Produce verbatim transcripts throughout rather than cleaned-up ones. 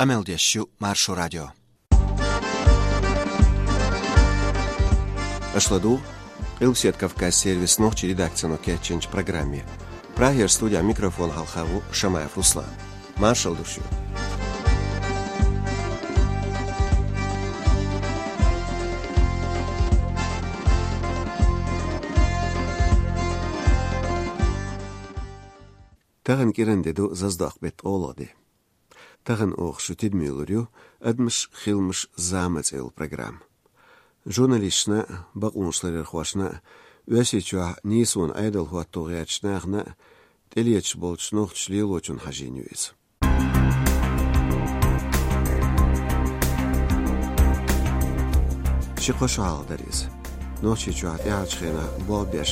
Къамел деш ю Маршо радио. Аша ладугӀу Къилбседа Кавказ сервисан нохчийн редакцино кечйинчу программе. Прагера студин микрофона хьалха ву Шамаев Руслан. Маршалла ду шуьга. Тахана кӀиран де ду, заздокх беттан олалла де. Тахана оха шун тидаме лур ю «Адамаш, хиламаш, зама» цӀе йолу программа. Журналисташна а, бакъонаш ларъярхошна а, Оьрсийчохь нийсонан Ӏедал хӀотто гӀертачу нахана а тӀелеташ болчу нохчаша лелочунна хьажийна ю иза. Ши-кхо шо хьалха дара иза. Нохчийчохь тӀаьхьарчу хенахь болх беш,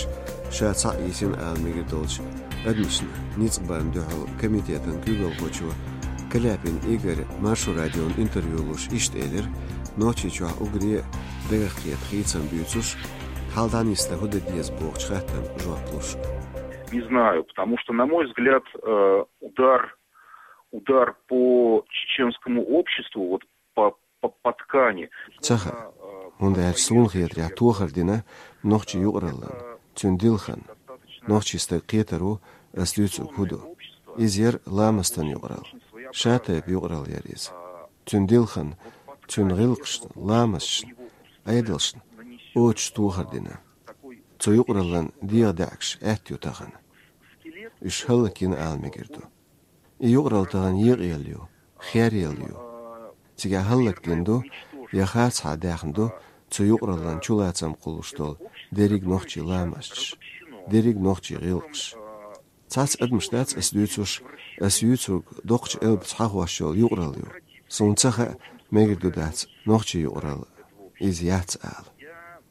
ша цхьаъ йисина ала мегар долчу адамашна ницкъ барна дуьхьал комитетан куьйгалхочо Каляпин Игоря Маршо радиона интервью луш иштта элира, Нохчийчохь уггаре а дагах кхета хийцам буьйцуш, хьал дӀанисдан хӀун дан деза бохучу хаттарна жоп луш. Не знаю, потому что, на мой взгляд, э, удар, удар по чеченскому обществу, вот по, по, по ткани. Ца хаьа, хӀунда аьлча суна хетарехь тохар дина нохчийн юкъараллан, цуьнан дилханна. Нохчийн стага кхетар ву ас дуьйцург хӀун ду. Иза яра ламастан юкъаралла. Ша тайпа юкъаралла яра иза. Цуьнан дилханна, цуьнан гӀиллакхашна, ламасташна, Ӏедалшна оцуш тохар дина. Цу юкъараллан дегӀан даьӀахкаш аьтто ю тахана. Уьш хӀаллакйина ала мегар ду. И юкъаралла тахана екъаелла ю, херъелла ю. Цигахь хӀаллакдина ду я харцахьа даьхна ду цу юкъараллан чулацам кхуллуш долу дерриг нохчийн ламасташ, дерриг нохчийн гӀиллакхаш. Цхьацца адамаш дац ас дуьйцуш, ас юьйцург доккхачу элпаца хьахош йолу юкъаралла ю. Суна ца хаьа, мегар ду дац нохчийн юкъаралла иза яц ала.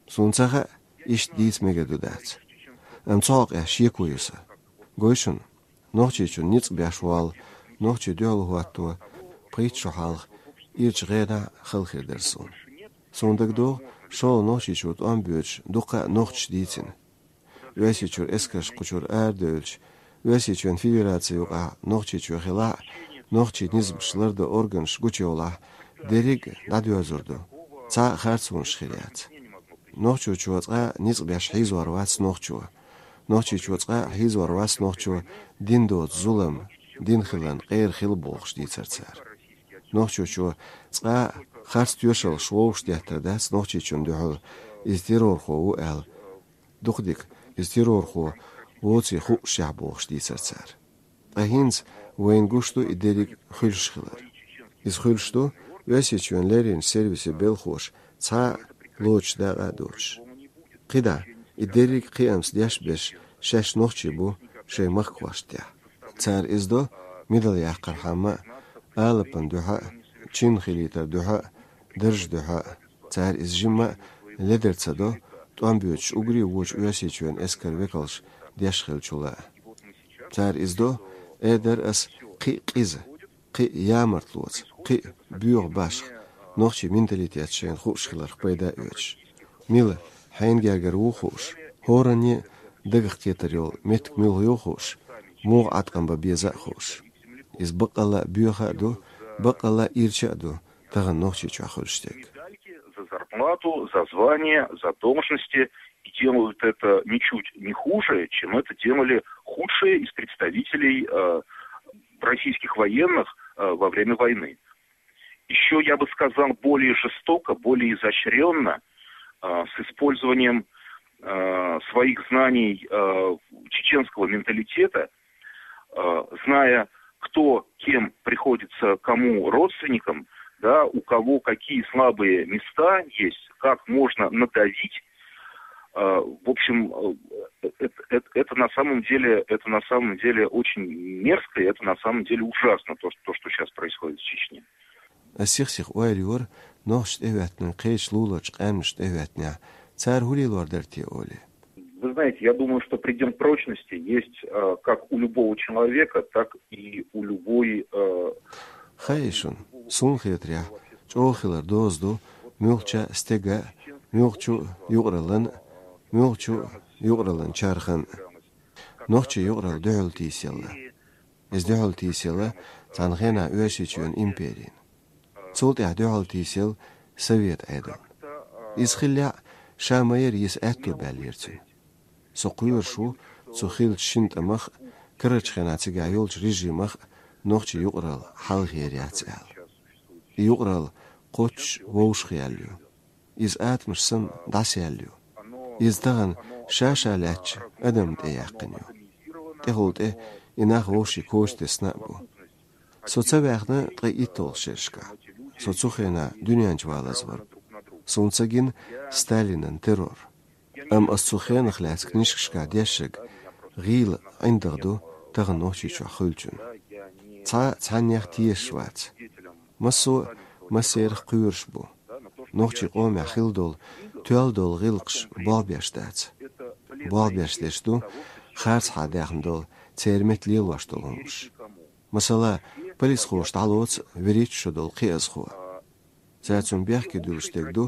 Суна ца хаьа, иштта дийца мегар ду дац. Амма цу хьокъехь шеко ю сан. Гой шуна, Нохчийчунна ницкъ беш волу нохчийн дуьхьал хӀотто пхийтта шо хьалха ирчу гӀенахь хала хир дара суна. Суна дагадогӀу, шолгӀа Нохчийчуьра тӀом боьдуш дуккха а нохчаша дийцина. Оьрсийчуьра эскарш кху чуьра арадевлча, Оьрсийчоьнан Федераци юкъахь Нохчийчоь хилахь а, нохчийн низамаш лардан органаш гучуйовлахь, дерриг а дӀадоьрзур ду. Цхьа а харцонаш хир яц. Нохчийчу цкъа а ницкъ беш хьийзор вац нохчо. Нохчийчу цкъа а хьийзор вац нохчо дин доцу зулам, дин хиларна къера хила бохуш дийцар цара. Нохчийчу цкъа а харц тоьшаллаш вовшах деттар дац Нохчийчунна дуьхьал, иза террорхо ву аьлла. Дукха дика, иза террорхо воций хуъушехь бохуш дийцар цара. Ткъа хӀинца вайна гуш ду и дерриг хуьлуш хилар. Иза хуьлуш ду Оьрсийчоьнан лерринчу сервисийн белхоша цхьа а лоцуш дакъа а доцуш. КхидӀа, и дерриг кхиамца деш а беш, шаьш нохчий бу, шайн махкахошна тӀехь. Цара иза до мидал яккхархьама а, алапан дуьхьа а, чин хилийтар дуьхьа а, дарж дуьхьа а. Цара иза жимма а ледар ца до, тӀом боьдуш уггаре а вочу Оьрсийчоьнан эскаран векалша деш хиллачул а. Цара иза до, эр дара ас, кхин а къиза, кхин а ямартлоца, кхин а боьха башха, нохчийн менталитет шайна хууш хиларх пайда а оьцуш. Мила, хьенан гергара ву хууш, хӀоранна а дагах кхетар йолу меттиг муьлха ю хууш, муха Ӏаткъам бан беза а хууш. Иза баккъалла а боьха а ду, баккъалла а ирча а ду тахана Нохчийчохь хуьлуш дерг. За зарплату, за звание, за должности, и делают это ничуть не хуже, чем это делали худшие из представителей, э, российских военных, э, во время войны. Еще, я бы сказал, более жестоко, более изощренно, э, с использованием, э, своих знаний, э, чеченского менталитета, э, зная, кто кем приходится кому родственником, да, у кого какие слабые места есть, как можно надавить. Э, в общем, э, это, это, это на самом деле, это на самом деле очень мерзко, и это на самом деле ужасно, то, что, то, что сейчас происходит в Чечне. Ас сих-сиха ойла йора нохчашна тӀехӀоьттинарг кхечу луларчу къаьмнашна тӀехӀоьттинехь, цара хӀун лелор дара те олий. Вы знаете, я думаю, что предел прочности есть, э, как у любого человека, так и у любой, э, Хаьий шуна, суна хетарехь, чӀогӀа хилар доза ду муьлххачу стеган а, муьлххачу юкъараллан а, муьлххачу юкъараллан чархан а. Нохчийн юкъаралла дуьхьал тийсаелла. Иза дуьхьал тийсаелла цхьана хенахь Оьрсийчоьнан империна. Цул тӀаьхьа дуьхьал тийсаелла Совет Ӏедал. Иза хиллехь а, ша ма-ярра йиса аьтто баьллера цуьнан. Со кхоьруш ву цу хиллачу шина тӀамах а, карарчу хенахь цигахь йолчу режимах а нохчийн юкъаралла хьалха яр яц аьлла. И юкъаралла кхоччуш вовшахъяьлла ю. Иза атомаш санна дӀасаяьлла ю. Иза тахана ша-ша лаьттачу адамна тӀе яьккхина ю. ТӀехула тӀе и нах вовшийн коча тесна а бу. Со ца ваьхна ткъе итталгӀачу шерашкахь. Со цу хенахь дуьнен чу валазвар. Суна ца гина Сталинан террор. Амма ас цу хенах лаьцна книжкашкахь дешнарг гӀийла ӀиндагӀ ду тахана Нохчийчохь хуьлучунна. Цхьа а цхьаннех тешаш вац. Массо а массерах кхоьруш бу. Нохчийн къомехь хилла долу тоьлла долу гӀиллакхаш болх беш дац. Болх беш дерш ду харцахьа даьхна долу, церан метта лелош долу хӀуманаш. Масала, полисхоша дӀалоцу вуьрхӀитта шо долу кхиазхо. Цара цунна бехке дуьллуш дерг ду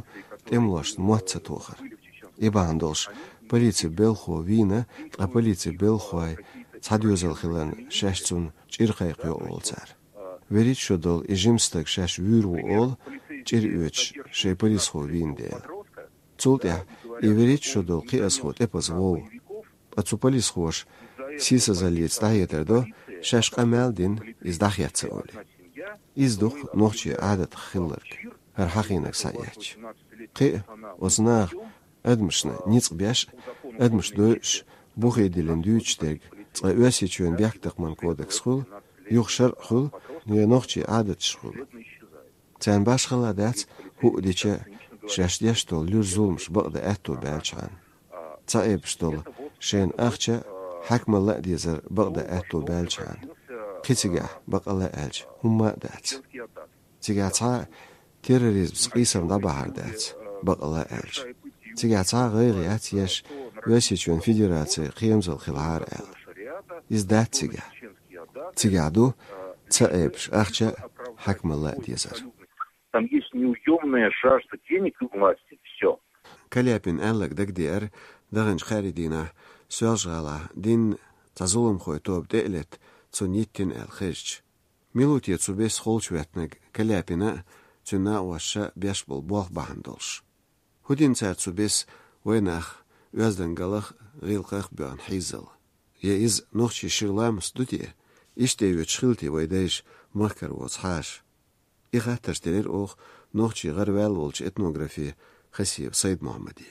тӀемалошна мотт ца тохар. И бахьана долуш полицин белхахо вийна, ткъа полицин белхахой цхьа доьзал хиларна шаьш цунна чӀир кхайкха йо олу цара. ВуьрхӀитта шо долу и жима стаг шаьш вуьйр ву олу, чӀир оьцуш шайн полисхо вийна дела. Цул тӀаьхьа и вуьрхӀитта шо долу кхиазхо тӀепаза вов. Ткъа цу полисхоша сийсазаллица дӀахьедар до, шаьш къамел а дина, иза дӀахецна олий. Иза ду-кх нохчийн Ӏадатах хилларг, хӀара хьахийнарг схьаэцча. Кхин а, оцу наха адамашна ницкъ беш а, адамаш дойуш, бухе диллина дуьйцуш дерг, цкъа Оьрсийчоьнан бехктакхаман кодекс хуьлу, юха шарӀ хуьлу, я нохчийн Ӏадаташ хуьлу. Царна башхалла дац, хӀуъа дича а, шаьш деш долу луьра зуламаш бакъдан аьтто баьлчхьана. Ца Ӏебаш долу шайна ахча а, хьаькамалла а дезар бакъдан аьтто баьлчхьана. Кхин цигахь, бакъалла аьлча, хӀумма а дац. Цигахь цхьа а терроризмца къийсам дӀабахьар дац, бакъалла аьлча. Цигахь цхьа а гӀайгӀа яц еш, Оьрсийчоьнан Федерацин кхерамзалла хилахьара аьлла. Иза дац цигахь. Цигахь ду ца Ӏебаш ахча а, хьаькамалла а дезар. Там есть неуёмная жажда денег и власти. Всё. Каляпин аьлларг дагадеара даханчу кхаьрдийнахь Соьлжа-ГӀалахь динна цхьа зуламхойн тоба тӀе а летта, цунна йиттина аьлла хезча. Мила ву те цу беса холчу веттинарг Каляпина а, цуьнан накъоша а беш болу болх бахьана долуш? ХӀун дина цара цу беса вайнах оьздангаллах а, гӀиллакхах а боьгӀна хьийзал? Я иза нохчийн шира ламаст ду те? Иштта йоьдуш хилла те вайн дайша махкара воцу хьаша? И хаттарш делира оха нохчийн гӀараваьлла волчу этнографе Хасиев Сайд-Мохьмаде.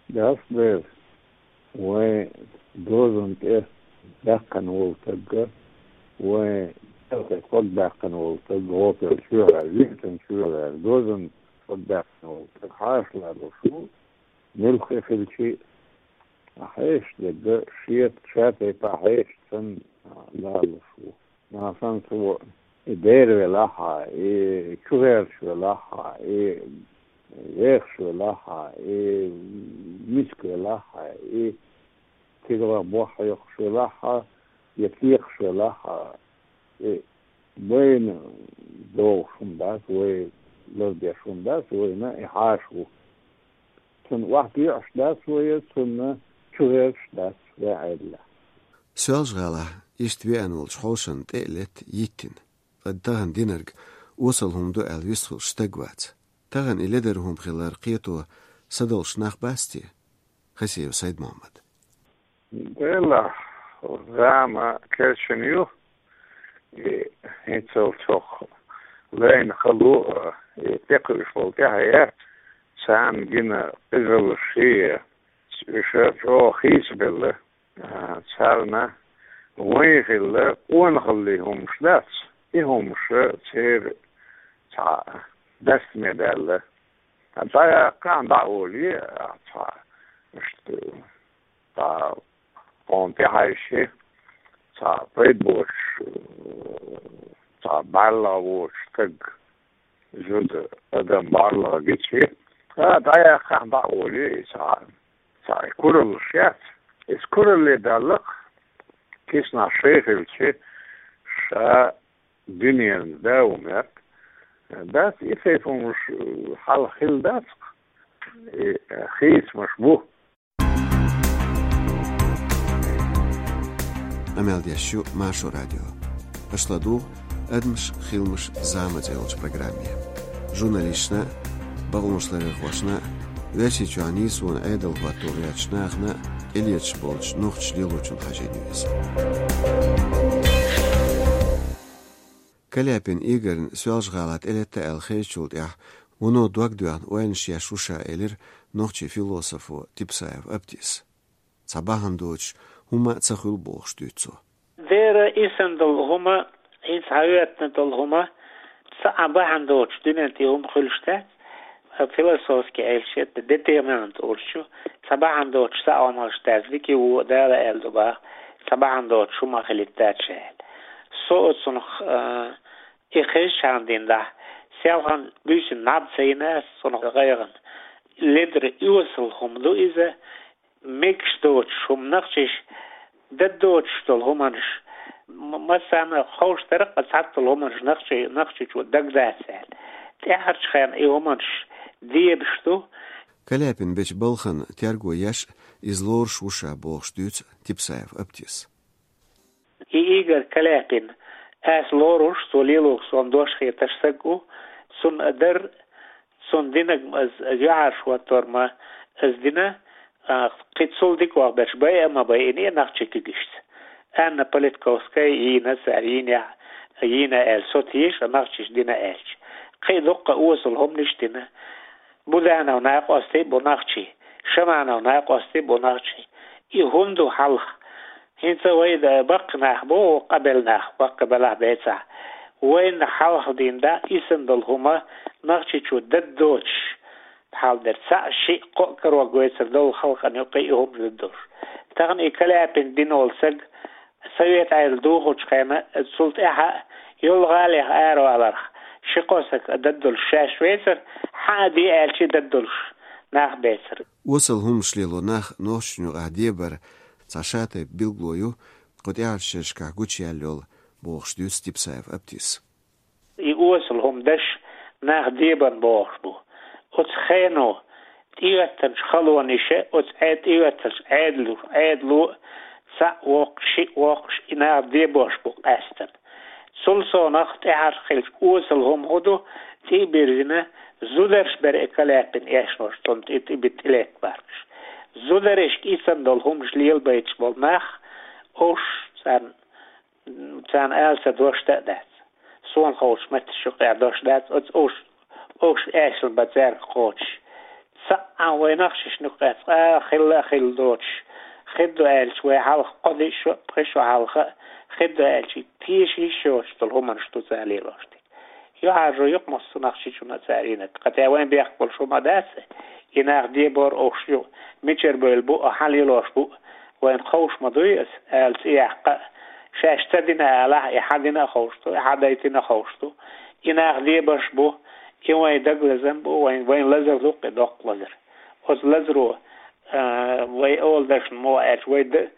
Дас бер, вайн дозанна тӀе даьккхина волу стаг, вайн тӀе кхо даьккхина волу стаг, гӀопал чоьхьара, витан чоьхьара, дозанна кхо даьккхина волу стаг хьаша лалуш ву, муьлхха хилчи а хьешаш дерг, шеца ша тайпа хьешаш санна лалуш ву. Нагахь санна цо и бер велахь а, и чугӀерташ велахь а, и вехаш велахь а, и миска велахь а, и цигалах бохь хьоькхуш велахь а, я текхаш велахь а, и вайна догӀуш хӀума дац, вай лардеш хӀума дац, вайна и хьаша ву. Цунна охьадоьӀуш дац вай, цунна чугӀерташ дац вай Ӏедалехь. Соьлжа-ГӀалахь иштта веана волчу хьошана тӀе а летта йиттина. Ткъа тахана динарг осал хӀума ду аьлла вистхуьлуш стаг вац. Тахана и ледара хӀума хилар кхето садолуш нах бац те? Хасиев Сайд-Мохьмад. Делахь, зама керчина ю, и хӀинццалц хӀокху лайна хало а, и тӀекхуьуш болу тӀаьхье, царна гина къизаллаш, уьш чӀогӀа хийцабелла. А, царна вайн хилла къонахаллин хӀумаш дац, и хӀумаш церан цхьа дастаме даьлла. ДӀаяккхахьа дӀа а олий, а, цхьа, иштта, цхьа хьуна тӀехьаьжча, цхьа пайда боцуш, цхьа бӀаьрлагӀа воцуш стаг, зуда адам бӀаьрлагӀа гича, а, дӀаяккхахьа дӀа а олий, и цхьа, цхьа кураллаш яц. Иза куралле далла-кх, киснахь шай хилча, ша дуьненан да ву моьтту. Дац, и тайпа хӀумаш хьалха хилла дац-кх, и хийцамаш бу. Къамел деш ю Маршо радио. Аша ладугӀу «Адамаш, хиламаш, зама» цӀе йолчу программе. Журналисташна, бакъонашларъярхошна, Оьрсийчохь нийсонан Ӏедал хӀотто гӀертачу нахана, тӀелеташ болчу нохчийн лелочун хьажийна ю иза. Каляпин Игорьна Соьлжа-ГӀала тӀелетта аьлла хезачул тӀаьхьа, вуно дог доьхна ойланаш еш ву ша, элира нохчийн философо Типсаев Аптис. Цхьа бахьана доцуш хӀума а ца хуьлу бохуш дуьйцу цо. Дера, исан долу хӀума, хӀинца хьан хӀоьттина долу хӀума, цхьа а бахьана доцуш дуьнен тӀе хӀума хуьлуш дац, философски аьлча, детемант олучу, цхьа бахьана доцуш цхьа а хӀума хуьлуш дац, дика ву, Дала аьлла ду баха, цхьа бахьана доцуш хӀума хилийта дац ша аьлла. Со оцунах, а, и хезчахьана дина дахь, селхана буьйсина наб ца йина ас цунах гӀайгӀана. Ледара оьсал хӀума ду иза, мегаш доцуш хӀума нахчиш, дада доцуш долу хӀуманаш, м-, массарна ховш дара, ткъа цхьацца долу хӀуманаш нахчи-, нахчичо дагадацара аьлла. ТӀаьхьарчу хенахь и хӀуманаш дебаш ду. Каляпин бечу балхана терго еш, иза лоруш ву ша бохуш дуьйцу Типсаев Аптис. И Игорь Каляпин, ас лоруш, цо лелориг суна дош хеташ саг ву, цунна а дар, цунна динарг ма ас, юьхьӀаьржа хӀоттор ма ас дина, а, кхин цул дикох берш байа а ма байина и нахчи куьгашца. Анна Политковская йийна цара, йийна, йийна аьлла, со теша, нахчиш дина аьлча. Кхин дуккха осал хӀуманаш дина. Буданов накъостий бу нахчий, Шаманов накъостий бу нахчий. И хӀунда ду хьалха? ХӀинца вай да-, баккхий нах бу, къабел нах, баккхий белахь бецахь. Вайна хьалха дина да, исан долу хӀума нахчичо дада доцуш, хьал дерг цхьаъ, шиъ, кхоъ карор гойтур долу халкъана юкъа и хӀума дада долуш. Тахана и Каляпин дина волу саг, Совет Ӏедал духучу хенахь, цул тӀаьхьа йолу гӀалех араваларх, ши-кхо саг а дада долуш шаьш вецара, хьан а де аьлча дада долуш нах бецара. Осал хӀуманаш лело нах нохчашна юкъахь дебар цхьа шатайпа билгало ю, кху тӀаьхьарчу шерашкахь гучуяьлла йолу, бохуш дуьйцу Типсаев Аптис. И осал хӀума деш нах дебан бохуш бу. Оцу хено тӀеоьттанчу халонеша, оцу Ӏе-, тӀеоьттанчу Ӏедало, Ӏедало цхьаъ воккхуш, шиъ воккхуш, и нах дебош бу къаьстина. Цул совнаха тӀаьхьарчу хилча осал хӀума хӀун ду, тӀе а бирзина, зударша бара и Каляпин эшнош, цунна тӀе, тӀе битта тӀелетта баркаш. Зударшка исан долу хӀуманаш лелабайташ болу нах, уьш царна Царна ала сан дош а дац. Суна ховчу метташ юкъа дош дац, оцу уш, уш эшна бан цаьрга кхочуш. Цхьаъ а вай нахчашна юкъа цкъа а хилла а хилла доцуш. Хир ду аьлча вай хьалха кхо-диъ шо, пхи шо хьалха а, хир ду аьлча теша йиш йоцуш долу хӀуманаш ду цара лелош дерг. ЮьхьӀаьржо ю-кх массо а нахчичунна а цара йинарг. Кхатя вайн бехк болуш хӀума дац, и нах дебор уш ю, мичара бевлла бу а, хьан лелош бу а, вайна ховш ма дуй аса, ала цӀе яккха а. Шаьш ца дина алахь, и хьан дина а ховш ду, и хьан дайтина а ховш ду. И нах дебарш бу, и вайн дагалазам бу, вайн, вайн лазар ду-кх и, доккха лазар. Оцу лазаро, а, вай оладаршна муха аьлча, вай д-,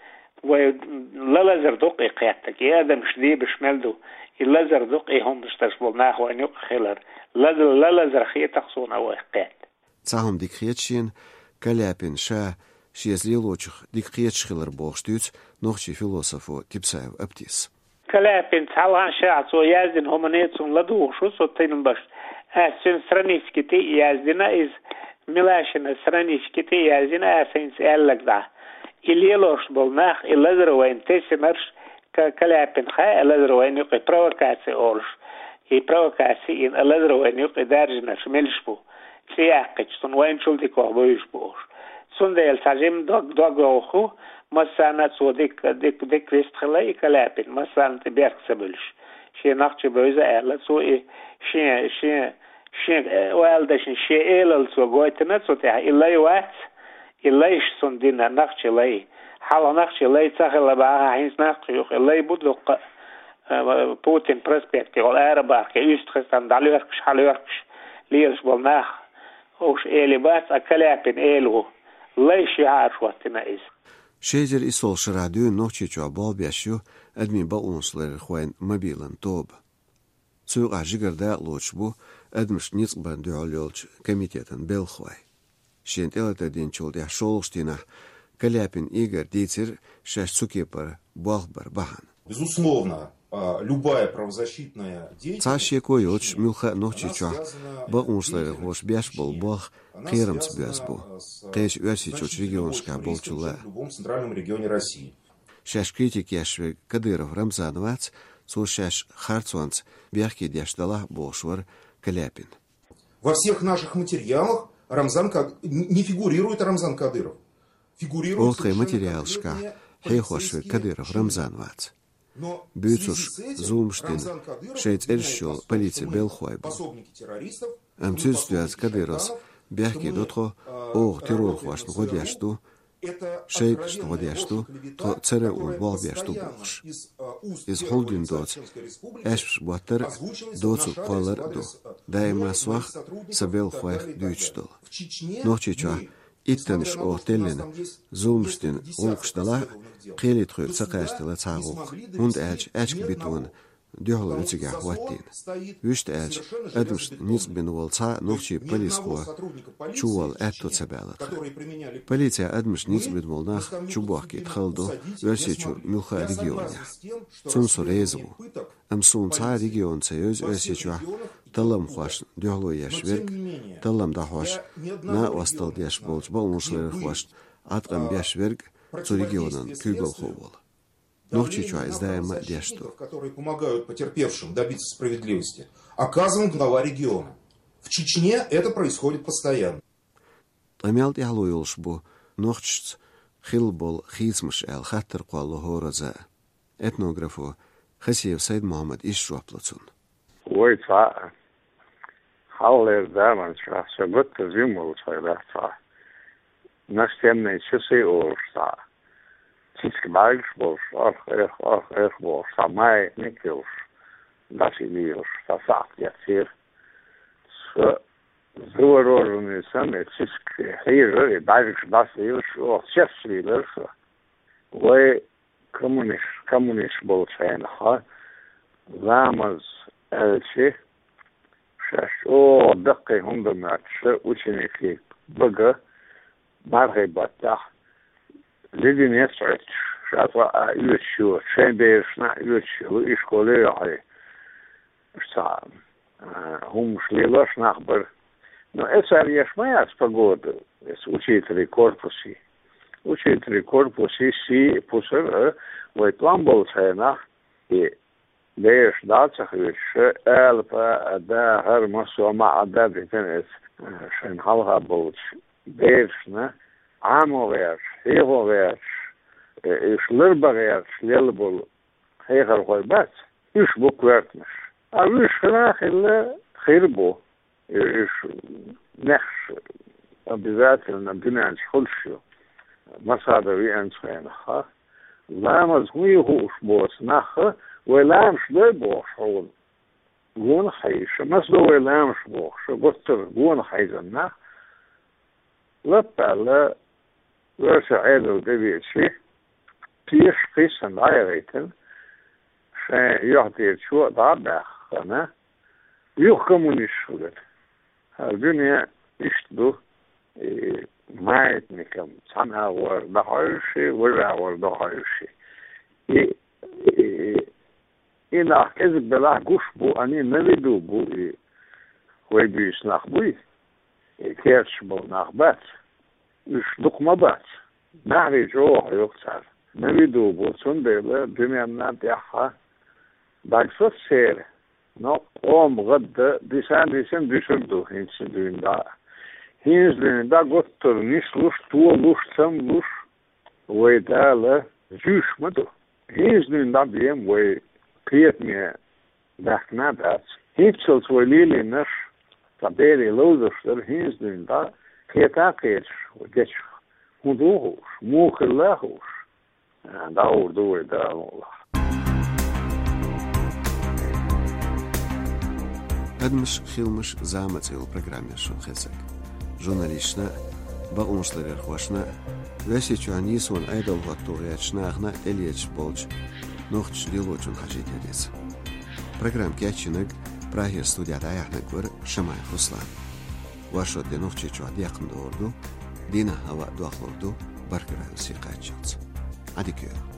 вай лалазар ду-кх и кхеттарг, и адамаш дебаш мел ду, и лазар ду-кх и хӀуманаш деш болу нах вайна юкъа хилар. Лазар, лалазар хета-кх суна вайх кхетта. Цхьа хӀума дика хета шена, Каляпин ша шеца лелочух дика кхеташ хилар бохуш дуьйцу нохчийн философо Типсаев Аптис. Каляпин цхьалхана шахь цо яздина хӀумане цунна ладугӀуш ву со тилмаш. Ас цуьнан странички тӀе а яздина иза, Милашина странички тӀе а яздина ас хӀинца аьлларг дӀа. И лелош болу нах, и лазар вайна тесинарш, Ка-, Каляпин хаьа лазар вайна юкъа провокаци олуш. И провокаци йина лазар вайна юкъа даьржинарш мелаш бу. ЦӀе яккхича, цунна вайначул дикох бевзаш бу уш. Цундела цхьа жимма дог, дог йовха ву, массарна а цо дика, дика, дика вистхила и Каляпин, массарна тӀе берг ца буьлуш. Шен нах чу бевза аьлла, цо и шен, шен, шен, э, вала дашна шен элал цо гойтина цу тӀехь, и лай вац, и лайш цунна дина, нахчи лай. Хьалха нахчи лай ца хилла бахахь, хӀинца нах юкъа и лай бу дуккха а, э, Путин проспекте йолу арабархке, уьстагӀ хезтан дӀалоьрхкаш, хьалоьрхкаш лелаш болу нах. Уьш эли бац, а Каляпин эли ву. Лайш юьхьӀаьржа хӀоттина иза. Ши эзар исс шарахь дуьйна Нохчийчохь болх беш ю адамийн бакъонашларъярхойн мобилан тоба. Цу юкъахь жигара дакъа лоцуш бу адамашна ницкъ барна дуьхьал йолчу комитетан белхалой. Шена тӀелатар динчул тӀаьхьа шолгӀачу дийнахь Каляпин Игорь дийцира шаьш цу кепара болх бар бахьана. Безусловно, А, любая правозащитная деятельность... Цхьа шеко йоцуш, муьлхха а Нохчийчохь бакъонашларъярхоша беш болу болх кхерамца боьзна бу кхечу Оьрсийчуьрчу регионашкахь болчул а. В любом центральном регионе России. Шаьш критика еш верг Кадыров Рамзан вац, цо шаьш харцонца бехке деш делахь а бохуш вара Каляпин. Во всех наших материалах Рамзан Кад-, не фигурирует Рамзан Кадыров. Фигурирует... Оха тхайн совершенно материалашкахь конкретные хьехош верг полицейские Кадыров Рамзан вац. Буьйцурш, зуламаш дина, шайн цӀераш йолу полицин белхахой бу. Амма цуьнца доьзна Кадыровс бехке до тхо, оха террорхошна гӀо деш ду, шайтӀашна гӀо деш ду, тхо церан а вон болх беш ду бохуш. Иза хьулдина доцу аьшпаш боттар а, доцург кхоллар а ду. Даима сох а, сан белхахойх а дуьйцуш долу. Нохчийчохь иттаннаш оха теллина, зуламаш дина гӀуллакхаш делахь а, кхеле тхоьга ца кхачаделла цхьа а гӀуллакх, хӀунда аьлча аьчка битонан дуьхьало ю цигахь хӀоттийна. Вуьшта аьлча, адамашна ницкъ бина волу цхьа а нохчийн полисхо чуволла аьтто ца баьлла тхан. Полице адамашна ницкъ бина болу нах чубохкийта хала ду Оьрсийчуьра муьлхха а регионехь. Цунна со реза ву. Амма суна цхьа а регион ца евза Оьрсийчохь талламхошна дуьхьало еш верг, таллам дӀахьош, накъосталла деш болчу бакъонашларъярхошна Ӏаткъам беш верг цу регионан куьйгалхо волу. Нохчийчохь иза даима а деш ду. Которые помогают потерпевшим добиться справедливости, оказываем глава региона. В Чечне это происходит постоянно. Ткъа мел тӀаьхьало йолуш бу нохчашца хилла болу хийцамаш аьлла хаттар кхолло хӀоразза а. Этнографо Хасиев Сайд-Мухьаммада иштта жоп ло цунна. Вай цхьаъ, хьалхалера заманчохь, сан гуттар а жима волчу хенахь цхьа, настенные часы олуш цхьа, цициг бӀаьргаш болуш, арх-эрх, арх-эрх бохуш цхьа маятник йолуш, дӀасаилла йолуш цхьа сахьт эцнера. Со завороженный санна, и цициг хьийзара, и бӀаьргаш дӀасаилла, оха чессалийлара со. Вай коммуниш-, коммуниш болчу хенахь, ламаз аьлча, шаьш чӀогӀа даккхий хӀума дан моьттуш, ученикийн бага мархин баттахь леденец Ӏуьттуш, ша цкъа а оьцуш йоцу, шайн берашна а оьцуш йолу, и школе а йохьий. Цхьа, а, хӀуманаш лелош нах бара. Но эцар еш ма яц погода, эца учителей корпусе. Учителей корпусе сий а, пусар а, вай тӀом болчу хенахь, и бераш дӀа а ца хьоьстуш, алапа а, да, хӀара массо а ма а дӀа а дитина эца, а, шайна хьалха болчу берашна Ӏамо гӀерташ, хьехо гӀерташ, э, уьш ларбан гӀерташ лелла болу хьехархой бац, уьш бу коьртанаш. А уьш хила а хилла хир бу. Уьш нехаш обязательно дуьнен чу хуьлуш ю. Масада веанчу хенахь, ламаз хӀун ю хууш боцу нах, вай ламаш дой бохуш хьуна. Гонах хьийза, маса ду вай ламаш бохуш, гуттар а гонах хьийзина нах. Лаппаьлла, оьрсийн Ӏедал тӀевеача, тешаш кхийсана дӀаяхийтина, шайн юьхь тӀера чо а дӀа а баьхна, юха коммунисташ хилира. ХӀара дуьне иштта ду, и маятникам цхьана агӀор дӀахьоьжуш, важа агӀор дӀахьоьжуш. И, и, и нах кӀезиг белахь гуш бу, они на виду бу, и вай буьйса нах буй, и керташ болу нах бац. Уьш дукха ма бац. Нахе чӀогӀа хьоьху цара. На виду бу, цундела дуьненна тӀехь дагсо церан, но къоман гӀадда дисан-дисан дуьсур ду хӀинца дуьйна дӀа. ХӀинца дуьйна дӀа гуттар а нислуш, толуш, цамлуш, вай Дала зуьйш ма ду. ХӀинца дуьйна дӀа бен вай кхетаме баьхкина а дац. ХӀинццалц вай лелийнарш, цхьа берийн ловзарш дара, хӀинца дуьйна дӀа кхета а кхеташ вай дечух. ХӀун ду хууш, муха хилла а хууш, дӀагӀур ду вай Дала мукъалахь. «Адамаш, хиламаш, зама» цӀе йолу программа яра шуна хезнарг. Журналисташна а, бакъонашларъярхошна а, Оьрсийчоьнан нийсонан Ӏедал хӀотто гӀертачу нахана а тӀелеташ болчу нохчийн лелочун хьажийна яра иза. Программа кечйинарг, Прагера студехь дӀаяьхьнарг вара Шамаев Руслан. Вайшотде Нохчийчохь декхна догӀур ду, дийнахь хӀаваъ дохлур ду, баркалла вайн сий кхаччалц. Ӏадика йойла.